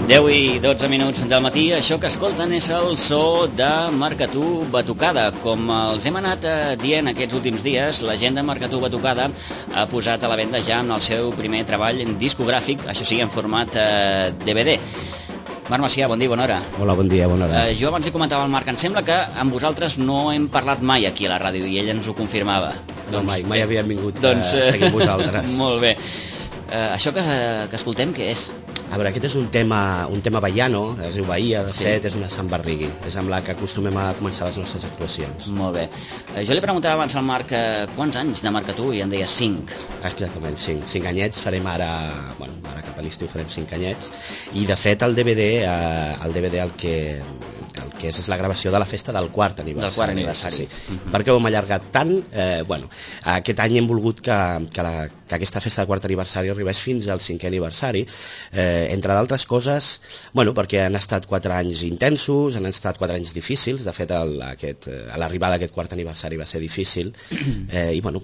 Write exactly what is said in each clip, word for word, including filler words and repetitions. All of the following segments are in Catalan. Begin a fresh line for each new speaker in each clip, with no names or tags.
deu i dotze minuts del matí, això que escolten és el so de Marcatú Batucada. Com els hem anat dient aquests últims dies, la gent de Marcatú Batucada ha posat a la venda ja en el seu primer treball discogràfic, això sí, en format eh, D V D. Marc Macià, bon dia, bona hora.
Hola, bon dia, bona hora.
Eh, jo abans li comentava al Marc, em sembla que amb vosaltres no hem parlat mai aquí a la ràdio i ell ens ho confirmava.
No, doncs, mai, mai havíem vingut
doncs,
a seguir amb vosaltres.
Molt bé. Eh, això que, que escoltem, què és?
A veure, aquest és un tema, un tema baiano, es diu Bahia, de
Sí.
fet, és una Sant Barrigui, és amb la que acostumem a començar les nostres actuacions.
Molt bé. Eh, jo li preguntava abans al Marc eh, quants anys de Marcatú i em deia cinc.
Exactament, cinc. Cinc anyets, farem ara, bueno, ara cap a l'estiu farem cinc anyets, i de fet el D V D, eh, el D V D el que, el que és és la gravació de la festa del quart aniversari.
Del quart aniversari.
Sí. Uh-huh. Per què ho hem allargat tant? Eh, bueno, aquest any hem volgut que, que, la, que aquesta festa del quart aniversari arribés fins al cinquè aniversari, eh, entre d'altres coses, bueno, perquè han estat quatre anys intensos, han estat quatre anys difícils, de fet el, aquest, l'arribada d'aquest quart aniversari va ser difícil, eh, i bueno,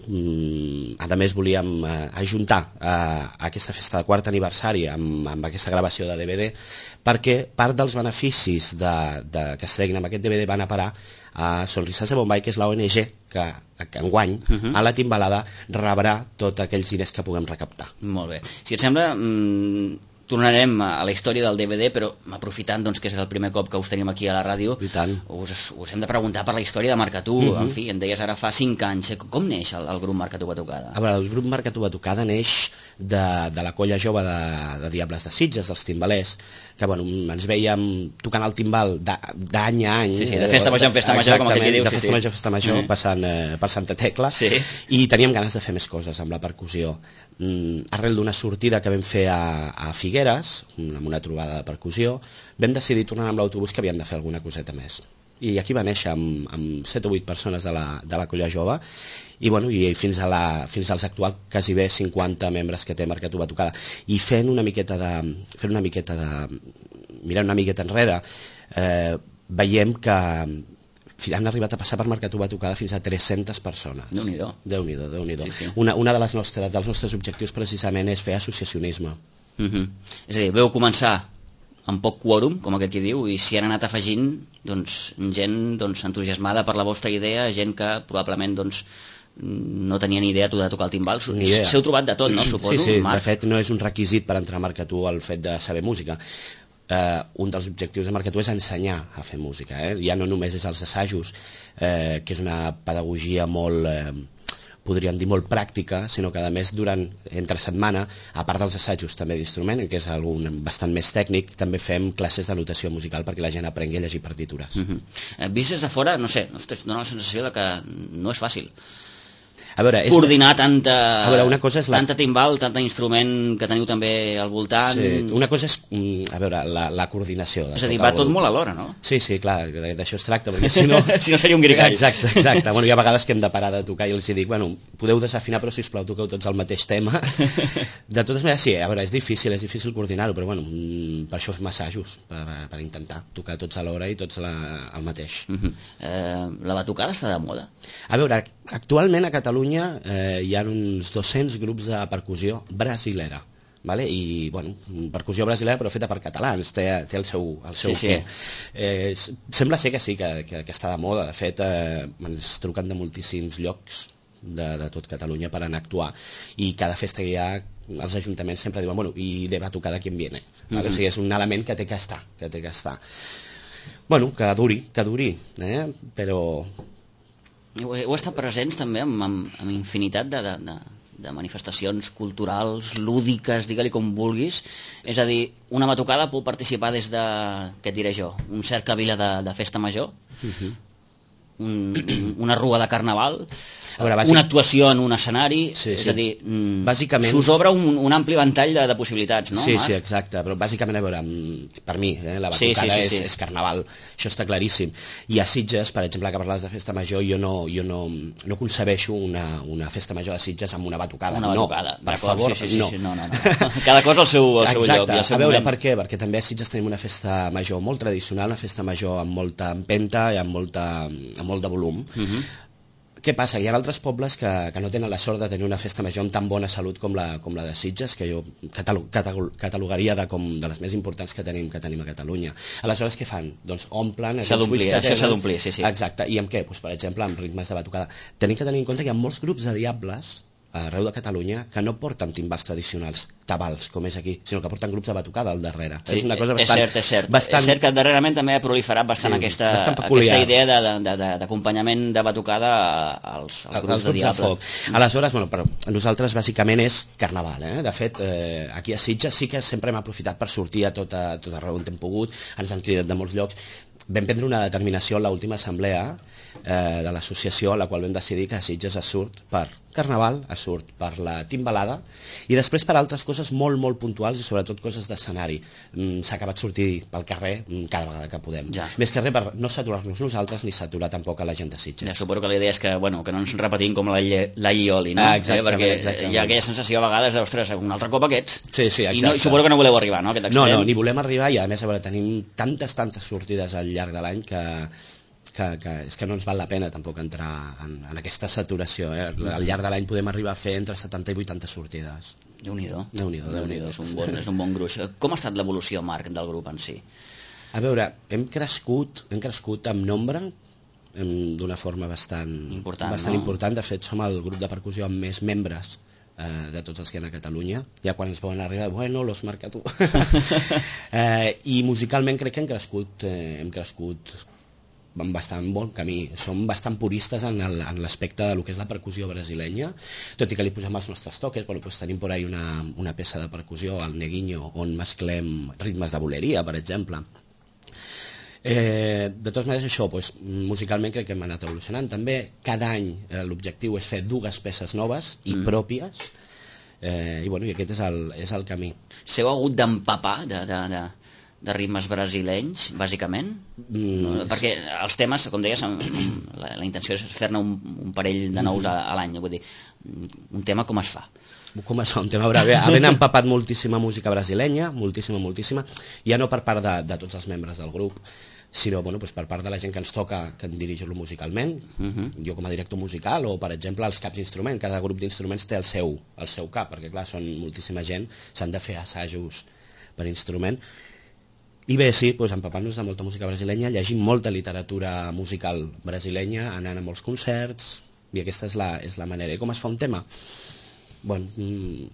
a més volíem eh, ajuntar eh, aquesta festa del quart aniversari amb, amb aquesta gravació de D V D, perquè part dels beneficis de, de, que es treguin amb aquest D V D van a parar a Sonrisas de Bombay, que és l'O N G que, que enguany uh -huh. a la Timbalada rebrà tots aquells diners que puguem recaptar.
Molt bé. Si et sembla, mmm, tornarem a la història del D V D, però aprofitant doncs, que és el primer cop que us tenim aquí a la ràdio,
I tant.
us, us hem de preguntar per la història de Marcatú. Uh -huh. En fi, em deies ara fa cinc anys. Com neix el, el grup Marcatú Batucada?
A veure, el grup Marcatú Batucada neix de, de la colla jove de, de Diables de Sitges, dels timbalers, que bueno, ens veiem tocant el timbal d'any a any.
Sí, sí, de festa major en festa major, com aquell que diu.
De
Sí,
festa
sí.
major a festa major, mm. passant eh, per Santa Tecla,
Sí.
i teníem ganes de fer més coses amb la percussió. Mm, arrel d'una sortida que vam fer a, a Figueres, amb una trobada de percussió, vam decidir tornar amb l'autobús que havíem de fer alguna coseta més. I aquí va néixer amb, amb set o vuit persones de la, de la colla jove, i, bueno, i fins, a la, fins als actuals quasi bé cinquanta membres que té Marcatú Batucada, i fent una miqueta de, fent una miqueta de mirant una miqueta enrere, eh, veiem que han arribat a passar per Marcatú Batucada fins a tres-centes persones.
Déu-n'hi-do.
Déu-n'hi-do, Déu-n'hi-do.
Sí, sí.
Una, una de les nostres, dels nostres objectius precisament és fer associacionisme.
Uh -huh. És a dir, veu començar amb poc quòrum, com aquell que diu, i s'hi han anat afegint doncs, gent doncs, entusiasmada per la vostra idea, gent que probablement doncs, no tenia ni idea de tocar el timbal. S'heu trobat de tot, no? Suposo.
Sí, sí,
Marc.
de fet no és un requisit per entrar a Marcatú el fet de saber música. Uh, un dels objectius de Marcatú és ensenyar a fer música, eh? Ja no només és els assajos, eh, que és una pedagogia molt, eh, podríem dir molt pràctica, sinó que a més durant, entre setmana, a part dels assajos també d'instrument, que és algun bastant més tècnic, també fem classes de notació musical perquè la gent aprengui a llegir partitures.
Uh -huh. eh, Vist des de fora, no sé, ostres, dona la sensació de que no és fàcil
A veure, és...
coordinar tanta,
a veure, una cosa és la...
tanta timbal, tant instrument que teniu també al voltant.
Sí, una cosa és, a veure, la, la coordinació.
És a dir, va tot molt alhora, no?
Sí, sí, clar, d'això es tracta, perquè si no...
si no seria un gricall.
Exacte, exacte. Bueno, hi ha vegades que hem de parar de tocar i els dic, bueno, podeu desafinar, però sisplau, toqueu tots el mateix tema. De totes maneres, sí, a veure, és difícil, és difícil coordinar-ho, però bueno, per això fem assajos, per, per intentar tocar tots alhora i tots la, el mateix.
Uh -huh. eh, la batucada està de moda?
A veure, actualment a Catalunya eh, hi ha uns dos-cents grups de percussió brasilera, vale? I, bueno, percussió brasilera però feta per catalans, té, té el seu, el seu
sí,
què.
sí.
Eh, sembla ser que sí, que, que, que està de moda. De fet, eh, ens truquen de moltíssims llocs de, de tot Catalunya per anar a actuar, i cada festa que hi ha els ajuntaments sempre diuen, bueno, i de batucada qui en viene, vale? Mm-hmm. O sigui, és un element que té que estar, que té que estar. Bueno, que duri, que duri, eh? Però...
Heu, heu estat presents també amb, amb, amb infinitat de, de, de, de manifestacions culturals, lúdiques, digue-li com vulguis. És a dir, una batucada pot participar des de, què et diré jo, un cercavila de, de festa major, uh-huh. un, una rua de carnaval, a veure, bàsic... una actuació en un escenari, sí, sí. És a dir, bàsicament... s'us obre un, un ampli ventall de, de possibilitats, no?
Sí,
Marc?
sí, exacte, però bàsicament, a veure, per mi, eh, la batucada sí, sí, sí, sí. És, és carnaval, això està claríssim. I a Sitges, per exemple, que parles de festa major, jo no, jo no, no concebeixo una, una festa major de Sitges amb una batucada.
Una batucada,
no, per favor,
sí, sí, sí,
no.
sí, no, no, no. Cada cosa al seu, al seu
exacte.
lloc. Al seu
a veure,
moment.
per què? Perquè també a Sitges tenim una festa major molt tradicional, una festa major amb molta empenta i amb, molta, amb molt de volum. Uh-huh. Què passa? Hi ha altres pobles que, que no tenen la sort de tenir una festa major amb tan bona salut com la, com la de Sitges, que jo catalog, catalogaria de, com de les més importants que tenim que tenim a Catalunya. Aleshores, què fan? Doncs omplen...
S'ha d'omplir, això s'ha d'omplir, sí, sí.
Exacte, i amb què? Pues, per exemple, amb ritmes de batucada. Tenim que tenir en compte que hi ha molts grups de diables arreu de Catalunya que no porten timbals tradicionals, tabals, com és aquí, sinó que porten grups de batucada al darrere.
Sí,
és una cosa bastant...
És cert, és cert.
Bastant...
És cert que darrerament també ha proliferat bastant, sí, aquesta, bastant aquesta idea d'acompanyament de, de, de batucada als, als grups, als grups de diable. De foc.
Mm. Aleshores, bueno, però nosaltres bàsicament és carnaval. Eh? De fet, eh, aquí a Sitges sí que sempre hem aprofitat per sortir a tot, a tot arreu on hem pogut, ens han cridat de molts llocs. Vam prendre una determinació en l'última assemblea eh, de l'associació, a la qual vam decidir que a Sitges es surt per carnaval, es surt per la timbalada i després per altres coses molt, molt puntuals i sobretot coses d'escenari. Mm, s'ha acabat sortir pel carrer mm, cada vegada que podem. Ja. Més que res per no saturar-nos nosaltres ni saturar tampoc a la gent de Sitges.
Ja, suposo que la idea és que, bueno, que no ens repetim com la, la Ioli, no?
Ah, exactament,
eh, perquè
exactament.
Hi ha aquella sensació a vegades d'ostres, un altre cop aquests.
Sí, sí,
I, no, i suposo que no voleu arribar, no? Aquest
no, no, ni volem arribar i a més a veure, tenim tantes, tantes sortides al llarg de l'any que Que, que és que no ens val la pena tampoc entrar en, en aquesta saturació. Eh? Al llarg de l'any podem arribar a fer entre setanta i vuitanta sortides.
Déu-n'hi-do.
Déu-n'hi-do, Déu-n'hi-do.
És un bon, és un bon gruix. Com ha estat l'evolució, Marc, del grup en si?
A veure, hem crescut, hem crescut en nombre d'una forma bastant
important.
Bastant
no?
important. De fet, som el grup de percussió amb més membres eh, de tots els que hi ha a Catalunya. Ja quan ens poden arribar, bueno, los marca tu. eh, I musicalment crec que hem crescut, eh, hem crescut en bastant bon camí. Som bastant puristes en l'aspecte de lo que és la percussió brasilenya, tot i que li posem els nostres toques. Bueno, pues tenim por ahí una, una peça de percussió, el neguinho, on mesclem ritmes de boleria, per exemple. Eh, de totes maneres, això, pues, musicalment crec que hem anat evolucionant. També cada any eh, l'objectiu és fer dues peces noves i mm. pròpies, eh, i, bueno, i aquest és el, és el camí.
S'heu hagut d'empapar de... de, de... de ritmes brasilenys, bàsicament? Mm. Perquè els temes, com deies, la, la intenció és fer-ne un, un parell de nous a, a l'any. Vull dir, un tema com es fa?
Com es fa un tema? Bé, havent empapat moltíssima música brasilenya, moltíssima, moltíssima, ja no per part de, de tots els membres del grup, sinó bueno, doncs per part de la gent que ens toca que en dirigir-lo musicalment, uh -huh. jo com a director musical, o per exemple els caps d'instrument. Cada grup d'instruments té el seu, el seu cap, perquè clar, són moltíssima gent, s'han de fer assajos per instrument. I bé, sí, doncs, empapant-nos de molta música brasilenya, llegim molta literatura musical brasilenya, anant a molts concerts, i aquesta és la, és la manera. I com es fa un tema? Bueno, mmm,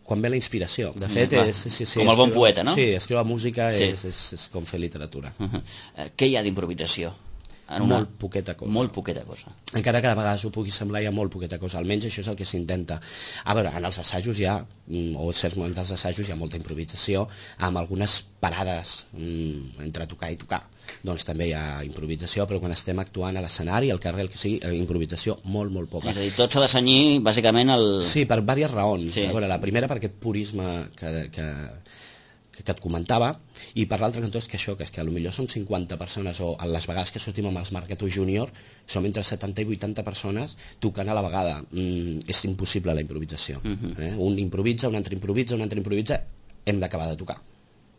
quan ve la inspiració. De fet, mm, és, sí, sí,
com el bon poeta, no?
Sí, escriure música sí. és, és, és com fer literatura.
Uh -huh. uh, què hi ha d'improvisació?
Una... Molt poqueta cosa.
Molt poqueta cosa.
Encara que de vegades ho pugui semblar, hi ha molt poqueta cosa. Almenys això és el que s'intenta. A veure, en els assajos hi ha, o certs moments dels assajos hi ha molta improvisació, amb algunes parades mm, entre tocar i tocar. Doncs també hi ha improvisació, però quan estem actuant a l'escenari, al carrer, el que sigui, improvisació molt, molt poca.
És a dir, tot s'ha de cenyir, bàsicament, el...
Sí, per diverses raons.
Sí.
A veure, la primera per aquest purisme que... que que et comentava, i per l'altre cantó és que això, que és que potser som cinquanta persones, o a les vegades que sortim amb els Marcatú Júnior som entre setanta i vuitanta persones tocant a la vegada. Mm, és impossible la improvisació. Uh -huh. eh? Un improvisa, un altre improvisa, un altre improvisa, hem d'acabar de tocar.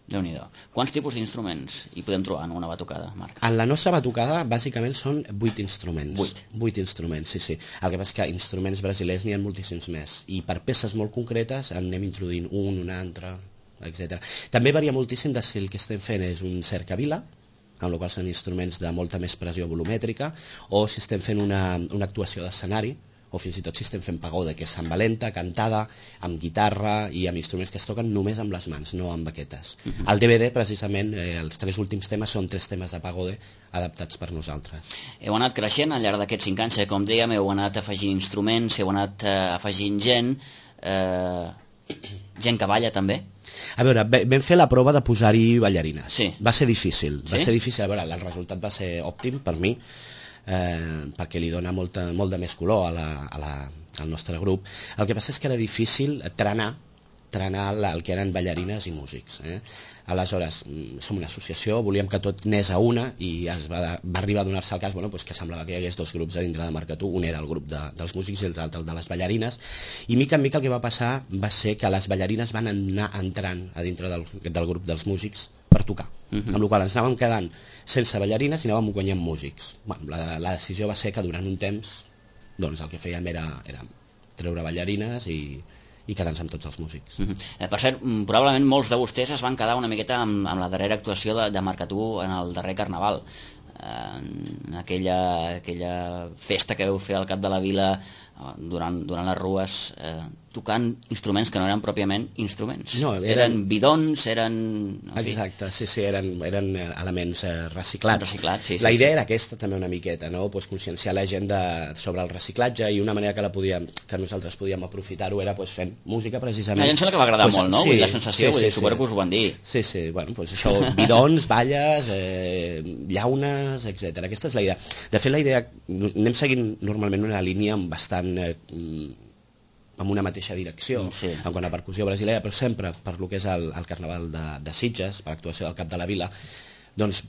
Déu-n'hi-do. Quants tipus d'instruments hi podem trobar en una batucada, Marc?
En la nostra batucada, bàsicament, són vuit instruments.
Vuit?
Vuit instruments, sí, sí. El que passa és que instruments brasilers n'hi ha moltíssims més, i per peces molt concretes en anem introduint un, un altre, etcètera. També varia moltíssim de si el que estem fent és un cercavila, amb la qual són instruments de molta més pressió volumètrica, o si estem fent una, una actuació d'escenari, o fins i tot si estem fent pagode, que és amb valenta, cantada, amb guitarra i amb instruments que es toquen només amb les mans, no amb baquetes. Uh -huh. Al D V D, precisament, eh, els tres últims temes són tres temes de pagode adaptats per nosaltres.
Heu anat creixent al llarg d'aquests cinc anys, eh? Com dèiem, heu anat afegint instruments, heu anat eh, afegint gent, eh, gent que balla també.
A veure, vam fer la prova de posar-hi ballarines.
Sí.
Va ser difícil, va
sí?
ser difícil. A veure, el resultat va ser òptim per mi, eh, perquè li dona molta, molt de més color a la, a la, al nostre grup. El que passa és que era difícil trenar trenar el que eren ballarines i músics. Eh? Aleshores, som una associació, volíem que tot anés a una, i es va, va arribar a donar-se el cas bueno, doncs que semblava que hi hagués dos grups a dintre de Marcatú, un era el grup de, dels músics i l'altre el de les ballarines, i mica en mica el que va passar va ser que les ballarines van anar entrant a dintre del, del grup dels músics per tocar. uh-huh. amb la qual ens anàvem quedant sense ballarines i anàvem guanyant músics. Bueno, la, la decisió va ser que durant un temps doncs el que fèiem era, era treure ballarines i, i quedar-nos amb tots els músics.
Uh-huh. eh, per cert, probablement molts de vostès es van quedar una miqueta amb, amb la darrera actuació de, de Marcatú en el darrer Carnaval, eh, aquella, aquella festa que veu fer al cap de la vila durant, durant les rues, eh, tocant instruments que no eren pròpiament instruments.
No, eren,
eren bidons, eren...
Exacte, sí, sí, eren, eren elements eh, reciclats.
reciclats sí,
la
sí,
idea
sí.
era aquesta també una miqueta, no? Pues conscienciar la gent de, sobre el reciclatge, i una manera que la podíem, que nosaltres podíem aprofitar-ho era pues, fent música precisament.
A mi em sembla que va agradar
pues,
molt, no?
Sí,
vull dir, la sensació,
sí,
vull dir,
sí,
suposo
sí.
que us ho van dir.
Sí, sí, bueno, pues això, bidons, balles, eh, llaunes, etcètera. Aquesta és la idea. De fet, la idea, anem seguint normalment una línia bastant... Eh, amb una mateixa direcció,
sí.
en quant a percussió brasilera, però sempre per lo que és el, el Carnaval de, de Sitges, per l'actuació del Cap de la Vila, doncs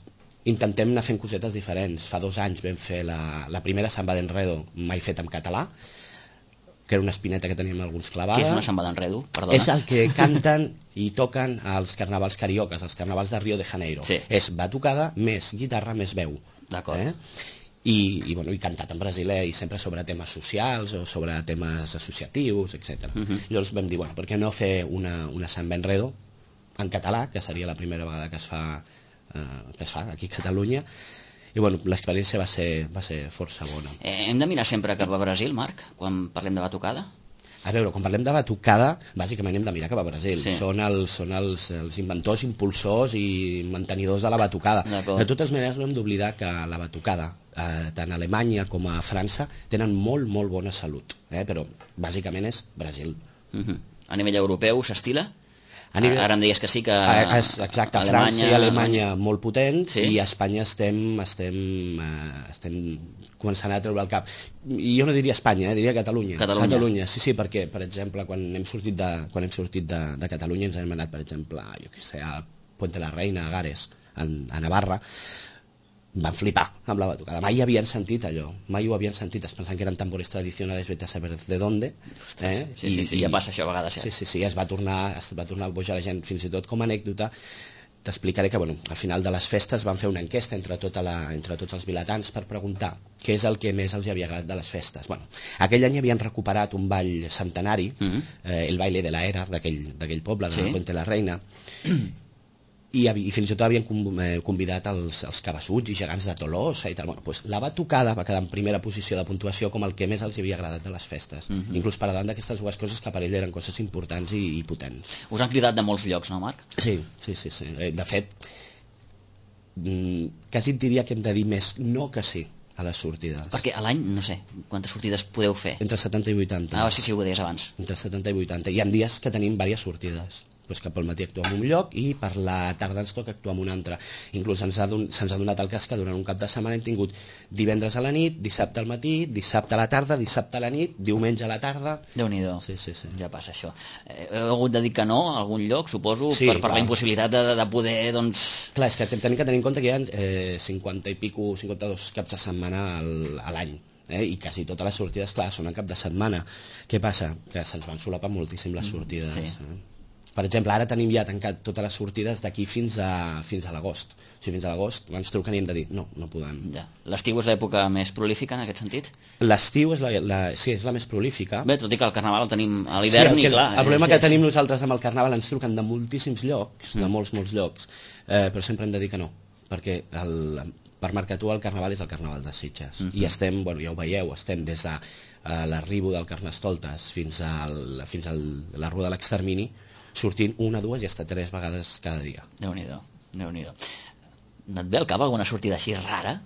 intentem anar fent cosetes diferents. Fa dos anys vam fer la, la primera samba d'enredo mai fet en català, que era una espineta que teníem alguns clavada.
Què és una samba d'enredo? Perdona.
És el que canten i toquen als carnavals cariocas, als carnavals de Rio de Janeiro.
Sí.
És batucada més guitarra més veu.
D'acord.
Eh? I, i, bueno, i cantat en brasiler i sempre sobre temes socials o sobre temes associatius, etcètera. Uh-huh. Llavors vam dir, bueno, per què no fer una, una samba enredo en català, que seria la primera vegada que es fa, eh, que es fa aquí a Catalunya, i bueno, l'experiència va ser, va ser força bona.
Eh, hem de mirar sempre cap a Brasil, Marc, quan parlem de batucada?
A veure, quan parlem de batucada, bàsicament hem de mirar cap a Brasil.
Sí.
Són, els, són els, els inventors, impulsors i mantenidors de la batucada. De totes maneres, no hem d'oblidar que la batucada, eh, tant a Alemanya com a França, tenen molt, molt bona salut. Eh? Però, bàsicament, és Brasil.
Uh-huh. A nivell europeu s'estila?
A nivell...
Ara em deies que sí que...
A, exacte, a França i Alemanya molt potents,
sí.
I a Espanya estem, estem, eh, estem començant a treure el cap. I jo no diria Espanya, eh, diria Catalunya.
Catalunya.
Catalunya, sí, sí, perquè, per exemple, quan hem sortit de, quan hem sortit de, de Catalunya ens hem anat, per exemple, jo què sé, a Puente la Reina, a Gares, a, a Navarra, van flipar amb la batucada. Mai havien sentit allò, mai ho havien sentit, es pensaven que eren tambores tradicionals, vete a saber de dónde.
Eh? Sí, sí, sí, I, ja passa això a vegades.
Sí, sí, sí, es va tornar, es va tornar a bojar la gent, fins i tot com a anècdota. T'explicaré que, bueno, al final de les festes van fer una enquesta entre, tota la, entre tots els vilatans per preguntar què és el que més els havia agradat de les festes. Bueno, aquell any havien recuperat un ball centenari, mm-hmm. eh, el baile de la era d'aquell poble, de sí. Puente la Reina, i, i fins i tot havien convidat els, els cabassuts i gegants de Tolosa i tal. Bueno, doncs la batucada va quedar en primera posició de puntuació com el que més els havia agradat de les festes, mm-hmm. inclús per davant d'aquestes dues coses que per ell eren coses importants i, i potents.
Us han cridat de molts llocs, no, Marc?
Sí, sí, sí, sí. De fet, quasi et diria que hem de dir més no que sí a les sortides.
Perquè a l'any, no sé, quantes sortides podeu fer?
Entre setanta i vuitanta.
Ah, sí, sí, ho deies abans.
Entre setanta i vuitanta. Hi ha dies que tenim diverses sortides. Pues que pel matí actuem en un lloc i per la tarda ens toca actuar en un altre. Inclús se'ns ha, don, se'ns ha donat el cas que durant un cap de setmana hem tingut divendres a la nit, dissabte al matí, dissabte a la tarda, dissabte a la nit, diumenge a la tarda.
Déu-n'hi-do,
sí, sí, sí.
Ja passa això. Heu hagut de dir que no a algun lloc, suposo,
sí,
per, per la impossibilitat de, de poder, doncs...
Clar, és que tenim que tenir en compte que hi ha eh, cinquanta i pico, cinquanta-dos caps de setmana al, a l'any. Eh? I quasi totes les sortides, clar, són a cap de setmana. Què passa? Que se'ns van solapar moltíssim les sortides. Sí. Eh? Per exemple, ara tenim ja tancat totes les sortides d'aquí fins a, fins a l'agost. O sigui, fins a l'agost ens truquen i hem de dir no, no podem.
Ja. L'estiu és l'època més prolífica en aquest sentit?
L'estiu és la, la, sí, és la més prolífica.
Bé, tot i que el Carnaval el tenim a l'hivern
sí,
i clar...
El problema
és,
que tenim nosaltres amb el Carnaval, ens truquen de moltíssims llocs, mm. de molts, molts llocs, eh, però sempre hem de dir que no, perquè el, per Marcatú el Carnaval és el Carnaval de Sitges. Mm -hmm. I estem, bueno, ja ho veieu, estem des de eh, l'arribo del Carnestoltes fins, al, fins a la Rua de l'Extermini, sortint una, dues i hasta tres vegades cada dia.
Déu-n'hi-do, Déu-n'hi-do. No et ve al cap alguna sortida així rara,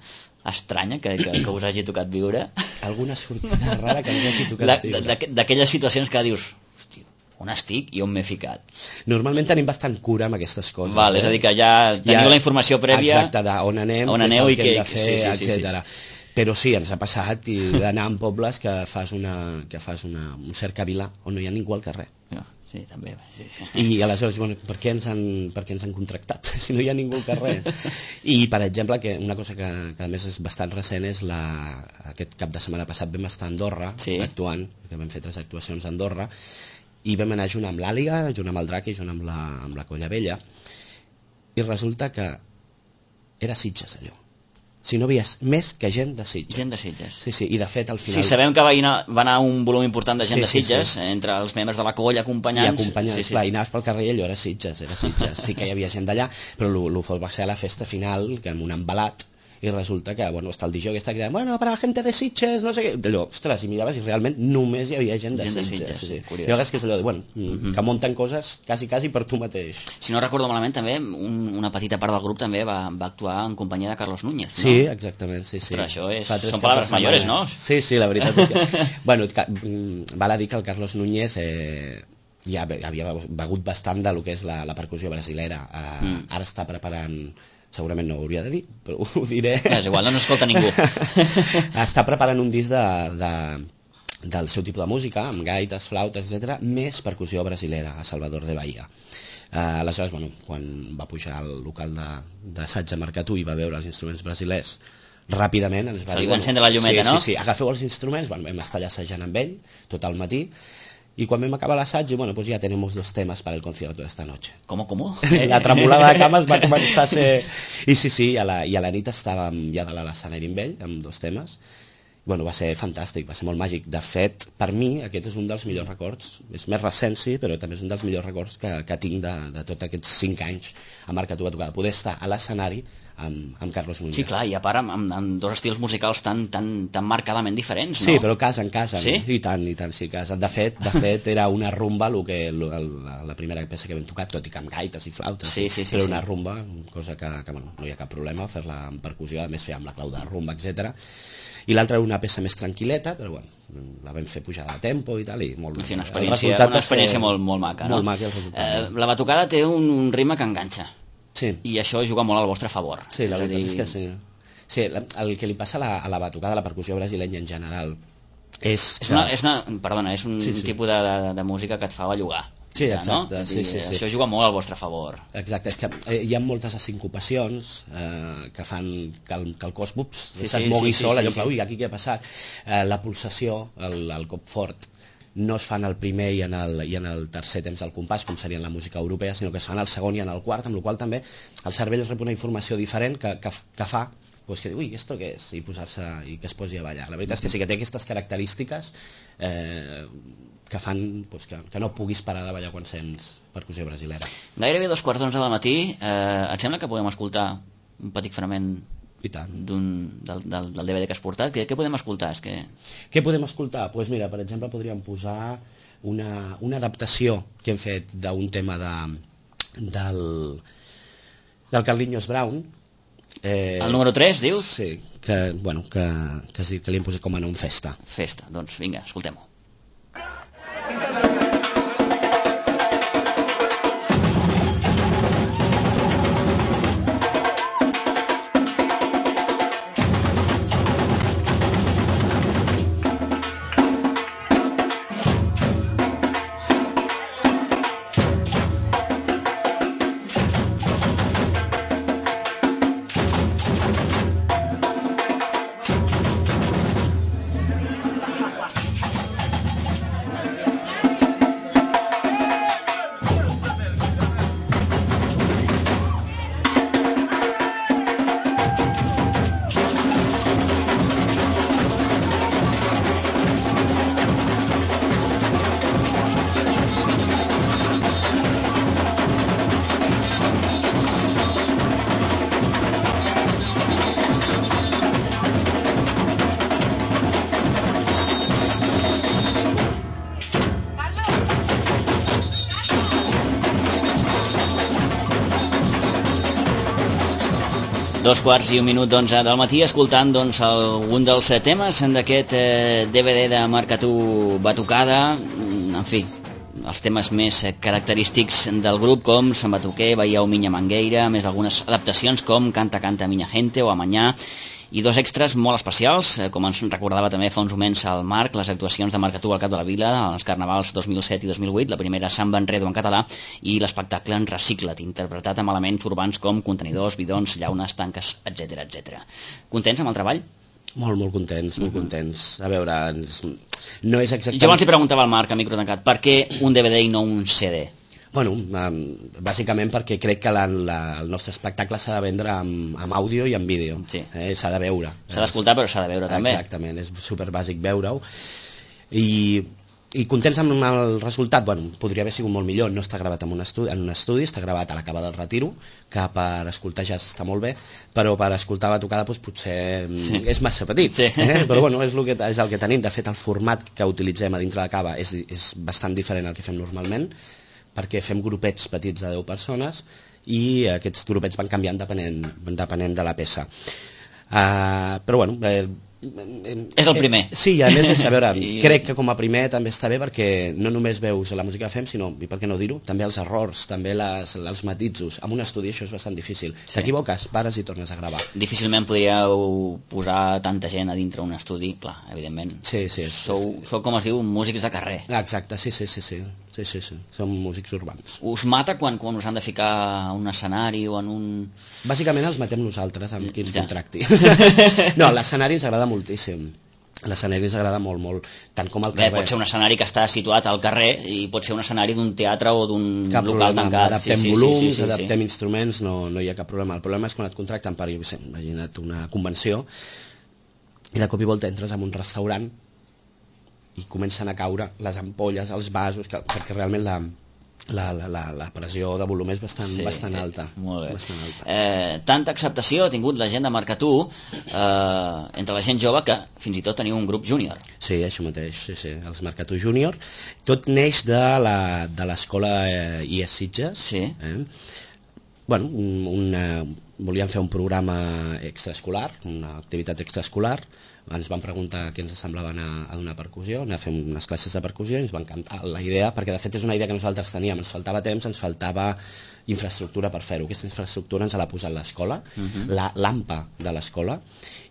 estranya, que, que, que us hagi tocat viure?
Alguna sortida rara que us hagi tocat viure?
D'aquelles situacions que dius, hòstia, on estic i on m'he ficat?
Normalment tenim bastant cura amb aquestes coses.
Val, eh? És a dir, que ja teniu ja, la informació prèvia...
Exacte, d'on anem,
on aneu i
què hem de fer,
sí, sí,
etcètera.
Sí, sí.
Però sí, ens ha passat i d'anar en pobles que fas, una, que fas una, un cercavilà on no hi ha ningú al carrer.
Ja. Sí, també. Sí, sí.
I aleshores, bueno, per què ens han, per què ens han contractat si no hi ha ningú al carrer? I, per exemple, que una cosa que, que a més és bastant recent és la, aquest cap de setmana passat vam estar a Andorra, sí. actuant, que vam fer tres actuacions a Andorra, i vam anar junt amb l'Àliga, junt amb el Drac i junt amb la, amb la Colla Vella, i resulta que era Sitges, allò. Si no veies més que gent de Sitges.
Gent de Sitges.
Sí, sí, i de fet al final...
Sí, sabem que va anar, va anar un volum important de gent
sí,
de Sitges,
sí, sí.
entre els membres de la colla, acompanyants...
I acompanyants,
sí, sí,
clar,
sí.
i anaves pel carrer i allò era Sitges, era Sitges. Sí que hi havia gent d'allà, però el fort va ser a la festa final, que amb un embalat, i resulta que, bueno, està el D J que està cridant, bueno, para la gente de Sitges, no sé què... Allò, ostres, i miraves i realment només hi havia gent de
gent
Sitges.
De Sitges,
sí, sí.
curiós.
I és que és allò de, bueno, mm-hmm. que munten coses quasi, quasi per tu mateix.
Si no recordo malament, també, un, una petita part del grup també va, va actuar en companyia de Carlos Núñez, no?
Sí, exactament, sí, sí.
Ostres, això és... Són paraules mayores, no?
Sí, sí, la veritat és que... bueno, val a dir que el Carlos Núñez... Eh, ja havia begut bastant de lo que és la, la percussió brasilera. Eh, mm. Ara està preparant... segurament no ho hauria de dir, però ho diré.
És igual, no escolta ningú.
Està preparant un disc de, de, del seu tipus de música, amb gaites, flautes, etcètera, més percussió brasilera, a Salvador de Bahia. Uh, aleshores, bueno, quan va pujar al local d'assaig de, de Marcatú i va veure els instruments brasilers, ràpidament ens va
Se
dir...
li va encendre la llumeta,
sí,
no?
Sí, sí, agafeu els instruments, bueno, vam estar allà assajant amb ell tot el matí, y cuando me acaba l'assaig, bueno, pues ya tenemos dos temas para el concierto de esta noche.
¿Cómo, cómo?
La tremolada de cames va començar a ser... I sí, sí, a la, i a la nit estàvem ja de l'escenari amb ell, amb dos temes. Bueno, va ser fantàstic, va ser molt màgic. De fet, per mi, aquest és un dels millors records. És més recent, sí, però també és un dels millors records que, que tinc de, de tots aquests cinc anys a Marcatú a tocar. Poder estar a l'escenari amb, amb Carlos Núñez.
Sí, clar, i a part amb, amb, amb dos estils musicals tan, tan, tan marcadament diferents, no?
Sí, però casa en casa,
sí?
I tant, i tant, sí, casa. De fet, de fet era una rumba lo que, lo, la, la primera peça que vam tocar, tot i que amb gaites i flautes,
sí, sí, sí,
era
sí.
una rumba, cosa que, que bueno, no hi ha cap problema fer-la amb percussió, a més fer amb la clau de rumba, etcètera. I l'altra era una peça més tranquil·leta, però bueno, la vam fer pujada de tempo i tal, i molt...
En fi, una experiència, una experiència molt, molt maca, no?
Molt maca el resultat.
Eh, la batucada té un, un ritme que enganxa.
Sí.
I això juga molt al vostre favor.
Sí, la
és
veritat
dir...
és que sí. Sí, el que li passa a la, a la batucada, a la percussió brasileña en general, és...
És
que...
una, és una, perdona, és un
sí, sí.
tipus de, de, de música que et fa bellugar.
Sí,
ja,
exacte.
No?
Sí, sí, sí.
Això juga molt al vostre favor.
Exacte, és que eh, hi ha moltes sincopacions eh, que fan que el, que el cos ups,
sí,
se't
sí,
mogui
sí,
sol,
sí,
allò,
sí,
ui, aquí què ha passat? Eh, la pulsació, el, el cop fort, no es fa en el primer i en el, i en el tercer temps del compàs, com seria en la música europea, sinó que es fa en el segon i en el quart, amb la qual també el cervell rep una informació diferent que, que, que fa pues que diu, ui, esto què és? I posar-se, i que es posi a ballar. La veritat és que sí que té aquestes característiques eh, que fan pues, que, que no puguis parar de ballar quan sents percussió brasilera.
Gairebé dos quarts d'onze del matí, eh, et sembla que podem escoltar un petit fragment d'un, del, del, del D V D que has portat? Què, què podem escoltar? És que...
Què podem escoltar? Doncs pues mira, per exemple, podríem posar una, una adaptació que hem fet d'un tema de, del, del Carlinhos Brown.
Eh, el número tres, dius?
Sí, que, bueno, que, que, sí, que li hem posat com a nom Festa.
Festa, doncs vinga, escoltem-ho. Dos quarts i un minut d'onze del matí, escoltant doncs, algun dels temes d'aquest eh, D V D de Marcatú Batucada. En fi, els temes més característics del grup, com Sant Batuquer, Veieu Minya Mangueira, més algunes adaptacions com Canta, canta, minya gente o Amanyà, i dos extras molt especials, com ens recordava també fa uns moments el Marc, les actuacions de Marcatú al Cap de la Vila, als Carnavals dos mil set i dos mil vuit, la primera Samba Enredo en català i l'espectacle en Recicla't, interpretat amb elements urbans com contenidors, bidons, llaunes, tanques, etcètera, etcètera. Contents amb el treball?
Molt, molt contents, molt uh-huh. contents. A veure, no és exactament...
Jo abans li preguntava al Marc, a micro tancat, per què un D V D i no un C D?
Bueno, um, bàsicament perquè crec que la, la, el nostre espectacle s'ha de vendre amb, amb àudio i amb vídeo.
Sí.
Eh, s'ha de veure.
S'ha d'escoltar, però s'ha de veure també.
Exactament, és superbàsic veure-ho. I, i contents amb el resultat, bueno, podria haver sigut molt millor. No està gravat en un estudi, en un estudi està gravat a la Cava del Retiro, que per escoltar ja està molt bé, però per escoltar batucada doncs, potser sí. és massa petit. Sí. Eh? Però bueno, és el, que, és el que tenim. De fet, el format que utilitzem a dintre de Cava és, és bastant diferent al que fem normalment, perquè fem grupets petits de deu persones i aquests grupets van canviant depenent, depenent de la peça. Uh, però bueno... Eh,
és el primer.
Eh, sí, a més, és, a veure, I... crec que com a primer també està bé perquè no només veus la música que fem, sinó, i per què no dir-ho, també els errors, també les, els matisos. En un estudi això és bastant difícil. Sí. T'equivoques, pares i tornes a gravar.
Difícilment podríeu posar tanta gent a dintre un estudi, clar, evidentment.
Sí, sí.
Sou,
sí.
sou, com es diu, músics de carrer.
Exacte, sí, sí, sí, sí. Sí, sí, sí. Som músics urbans.
Us mata quan, quan us han de ficar a un escenari o en un...
Bàsicament els matem nosaltres, amb qui ens ja. contracti. No, l'escenari ens agrada moltíssim. L'escenari ens agrada molt, molt, tant com el carrer.
Bé, pot ser un escenari que està situat al carrer i pot ser un escenari d'un teatre o d'un local problema. Tancat.
Adaptem
sí, sí,
volums,
sí, sí, sí,
adaptem
sí.
instruments, no, no hi ha cap problema. El problema és quan et contracten per, jo què sé, imagina't una convenció i de cop i volta entres en un restaurant i comencen a caure les ampolles, els vasos, que, perquè realment la, la, la, la, la pressió de volum és bastant, sí, bastant alta.
Eh, molt bé.
Bastant alta.
Eh, tanta acceptació ha tingut la gent de Marcatú eh, entre la gent jove que fins i tot teniu un grup júnior.
Sí, això mateix, sí, sí, els Marcatú Júnior. Tot neix de l'escola eh, I E S Sitges. Sí. Eh? Bueno, un, una, volíem fer un programa extraescolar, una activitat extraescolar. Ens van preguntar què ens semblava anar a donar percussió, anar a fer unes classes de percussió i ens va encantar la idea, perquè de fet és una idea que nosaltres teníem, ens faltava temps, ens faltava infraestructura per fer-ho. Aquesta infraestructura ens l'ha posat l'escola, uh-huh. la l'AMPA de l'escola,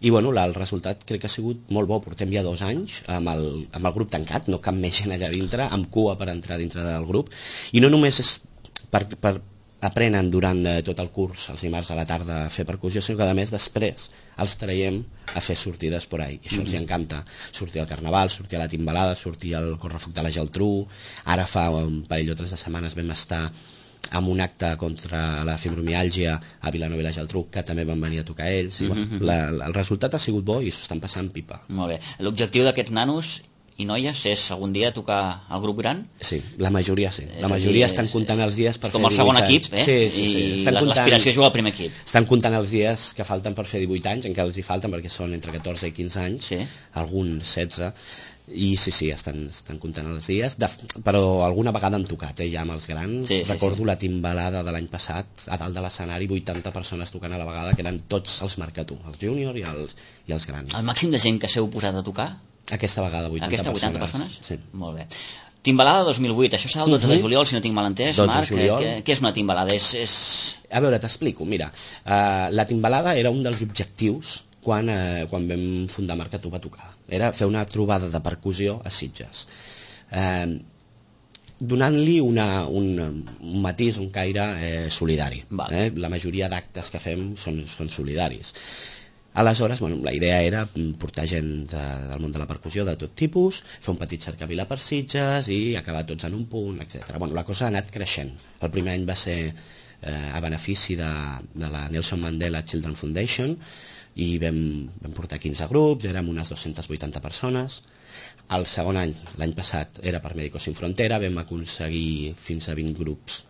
i bueno, la, el resultat crec que ha sigut molt bo. Portem ja dos anys amb el, amb el grup tancat, no cap més gent allà dintre, amb cua per entrar dintre del grup, i no només és per, per aprenen durant eh, tot el curs, els dimarts a la tarda, a fer percussió, sinó que a més després els traiem a fer sortides por ahí. I això mm-hmm. els encanta. Sortir al Carnaval, sortir a la Timbalada, sortir al Correfoc de la Geltrú. Ara fa un parell o tres de setmanes vam estar amb un acte contra la fibromiàlgia a Vilanova i la Geltrú, que també van venir a tocar ells. I, mm-hmm. bueno, la, la, el resultat ha sigut bo i s'ho estan passant pipa.
Molt bé. L'objectiu d'aquests nanos i noies és algun dia tocar al grup gran?
Sí, la majoria sí. La majoria dir, estan comptant els dies per fer
divuit anys. Com el segon equip, eh?
Sí, sí, sí.
I l'aspiració és jugar al primer equip.
Estan comptant els dies que falten per fer divuit anys, encara els hi falten perquè són entre catorze i quinze anys, sí. Alguns setze, i sí, sí, estan, estan comptant els dies, de, però alguna vegada han tocat, eh, ja amb els grans. Sí, sí, recordo sí. La timbalada de l'any passat, a dalt de l'escenari, vuitanta persones tocant a la vegada, que eren tots els Marcatú, els júnior i els, i els grans.
El màxim de gent que s'heu posat a tocar?
Aquesta vegada vuitanta
Aquesta vuitanta
persones.
persones? Sí. Molt bé. Timbalada dos mil vuit, això serà el dotze uh-huh. de juliol, si no tinc mal entès, Marc. Què, què és una timbalada? És, és...
A veure, t'explico. Mira, uh, la timbalada era un dels objectius quan, uh, quan vam fundar Marcatú va tocar. Era fer una trobada de percussió a Sitges. Uh, donant-li una, un, un matís, un caire eh, solidari. Vale. Eh? La majoria d'actes que fem són, són solidaris. Aleshores, bueno, la idea era portar gent de, del món de la percussió de tot tipus, fer un petit cercavila per Sitges i acabar tots en un punt, etcètera. Bueno, la cosa ha anat creixent. El primer any va ser eh, a benefici de, de la Nelson Mandela Children Foundation i vam, vam portar quinze grups, érem unes dues-centes vuitanta persones. El segon any, l'any passat, era per Médicos Sin Frontera, vam aconseguir fins a vint grups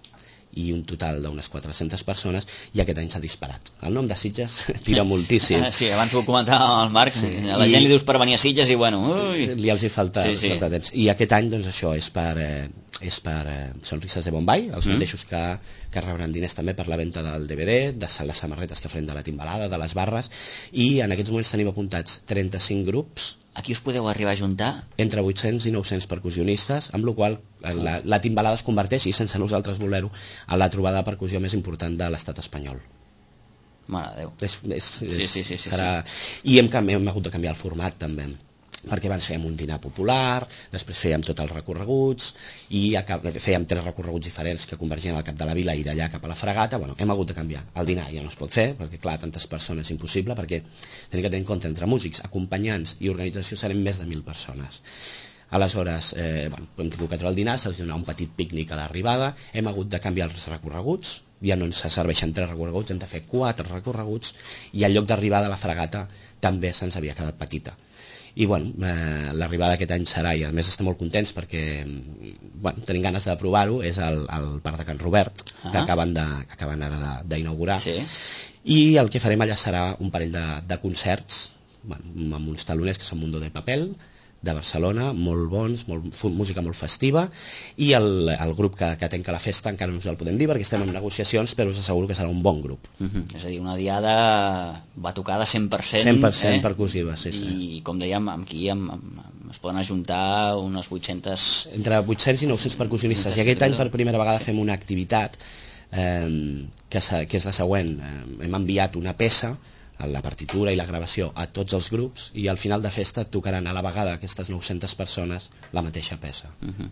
i un total d'unes quatre-centes persones, i aquest any s'ha disparat. El nom de Sitges tira moltíssim.
Sí, abans ho comentava el Marc, sí. A la I... gent li dius per venir a Sitges i bueno... Ui.
Li els hi falta,
sí, sí.
falta temps. I aquest any, doncs, això és per... Eh, és per eh, Sonrises de Bombay, els mm. mateixos que, que rebran diners també per la venda del D V D, de les samarretes que farem de la timbalada, de les barres, i en aquests moments tenim apuntats trenta-cinc grups.
Aquí us podeu arribar a juntar?
Entre vuit-cents i nou-cents percussionistes, amb la qual la, la timbalada es converteix, i sense nosaltres voler-ho, en la trobada de percussió més important de l'estat espanyol.
Mare de Déu.
És, és,
sí,
és,
sí, sí, sí,
serà... sí. I hem, hem hagut de canviar el format també, perquè abans fèiem un dinar popular, després fèiem tots els recorreguts, i fèiem tres recorreguts diferents que convergien al cap de la vila i d'allà cap a la fregata. Bueno, hem hagut de canviar. El dinar ja no es pot fer, perquè clar, tantes persones és impossible, perquè tenim que tenir en compte entre músics, acompanyants i organització serem més de mil persones. Aleshores, eh, bueno, hem tingut que treure el dinar, se'ls donarà un petit pícnic a l'arribada, hem hagut de canviar els recorreguts, ja no ens serveixen tres recorreguts, hem de fer quatre recorreguts, i el lloc d'arribada a la fregata també se'ns havia quedat petita. I bueno, eh, l'arribada aquest any serà, i a més estem molt contents perquè bueno, tenim ganes de provar-ho, és el, el Parc de Can Robert, que ah. acaben, de, acaben ara d'inaugurar,
sí.
I el que farem allà serà un parell de, de concerts, bueno, amb uns taloners que són Mundo de Papel, de Barcelona, molt bons, molt, música molt festiva, i el, el grup que, que tenca la festa encara no us el podem dir perquè estem en negociacions, però us asseguro que serà un bon grup.
Uh-huh. És a dir, una diada batucada cent per cent,
cent per cent
eh?
percussiva, sí, sí.
I com dèiem, aquí amb, amb, amb, es poden ajuntar unes vuit-centes...
Entre vuit-cents i nou-cents percussionistes, i aquest any per primera vegada fem una activitat eh, que, que és la següent. Eh, hem enviat una peça, la partitura i la gravació a tots els grups, i al final de festa tocaran a la vegada aquestes nou-centes persones la mateixa peça.
Uh-huh.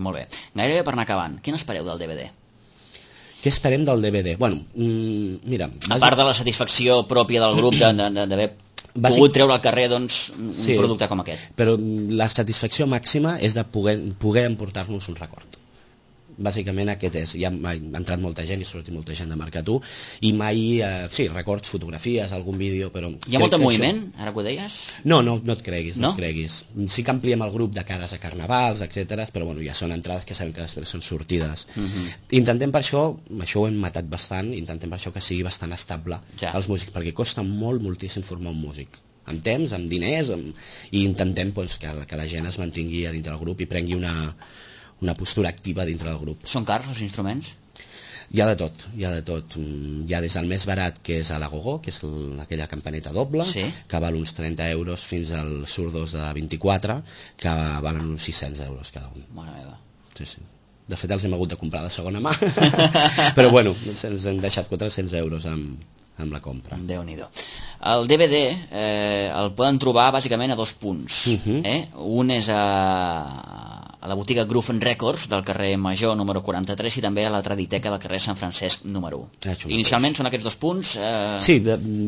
Molt bé. Gairebé per anar acabant, què n'espereu del D V D?
Què esperem del D V D? Bueno, mm, mira...
A part de la satisfacció pròpia del grup d'haver pogut treure al carrer doncs, un sí, producte com aquest.
Però la satisfacció màxima és de poder, poder emportar-nos un record. Bàsicament aquest és, ja ha entrat molta gent i ha sortit molta gent de Marcatú, i mai, eh, sí, records, fotografies, algun vídeo, però...
Hi ha molt de moviment, això... ara que ho deies?
No, no, no et creguis, no?
no
et creguis. Sí que ampliem el grup de cares a carnavals, etcètera, però bueno, ja són entrades que sabem que després són sortides. Uh-huh. Intentem per això, això ho hem matat bastant, intentem per això que sigui bastant estable ja. Els músics, perquè costa molt, moltíssim formar un músic. Amb temps, amb diners, amb... i intentem doncs, que, que la gent es mantingui a dintre del grup i prengui una... una postura activa dintre del grup.
Són cars els instruments?
Hi ha de tot, hi ha de tot. Hi ha des del més barat, que és a la Gogó, que és el, aquella campaneta doble,
sí.
que val uns trenta euros, fins als surdos de vint-i-quatre, que valen uns sis-cents euros cada un.
Mare meva.
Sí, sí. De fet, els hem hagut de comprar de segona mà, però bueno, ens hem deixat quatre-cents euros amb, amb la compra.
Déu-n'hi-do. El D V D eh, el poden trobar bàsicament a dos punts. Uh-huh. eh? Un és a... a la botiga Groove and Records del carrer Major número quaranta-tres i també a la Traditeca del carrer Sant Francesc número u. Ah, inicialment són aquests dos punts? Eh...
Sí,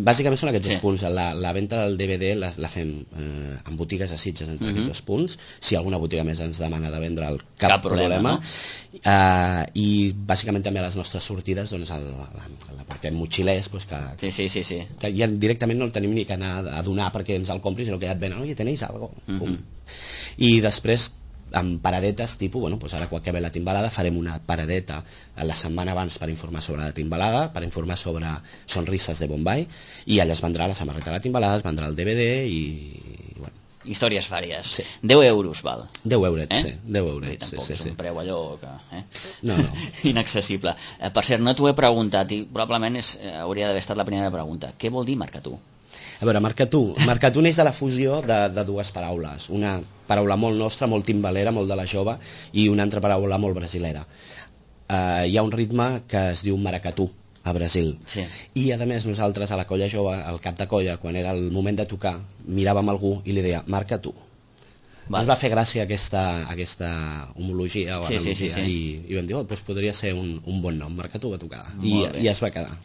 bàsicament són aquests sí. dos punts. La, la venda del D V D la, la fem eh, en botigues a Sitges entre uh-huh. aquests dos punts. Si alguna botiga més ens demana de vendre'l, cap, cap problema. problema. No? Uh, I bàsicament també a les nostres sortides doncs l'apartem motxilers doncs, que,
sí, sí, sí, sí.
que ja directament no el tenim ni que anar a donar perquè ens el compris, sinó que ja et venen, oye, tenéis algo? Uh-huh. I després amb paradetes, tipus, bueno, doncs ara quan acabi la timbalada farem una paradeta la setmana abans per informar sobre la timbalada, per informar sobre sonrises de Bombay, i allà es vendrà la samarreta de la timbalada, es vendrà el D V D i... bueno.
Històries vàries.
Sí.
deu euros val.
deu eurets, eh? sí. deu eurets.
I tampoc
sí,
és
sí,
un preu allò que... Eh?
No, no.
Inaccessible. Eh, per cert, no t'ho he preguntat i probablement és, eh, hauria d'haver estat la primera pregunta. Què vol dir Marcatú?
A veure, Marcatú. Marcatú neix de la fusió de, de dues paraules. Una paraula molt nostra, molt timbalera, molt de la jove, i una altra paraula molt brasilera. Uh, hi ha un ritme que es diu maracatú a Brasil.
Sí.
I a més nosaltres a la colla jove, al cap de colla, quan era el moment de tocar, miràvem algú i li deia Marcatú. Ens va fer gràcia aquesta, aquesta homologia o
sí,
analogia,
sí, sí, sí.
I, i vam dir, oh, doncs podria ser un, un bon nom, Marcatú va tocar. I, i es va quedar.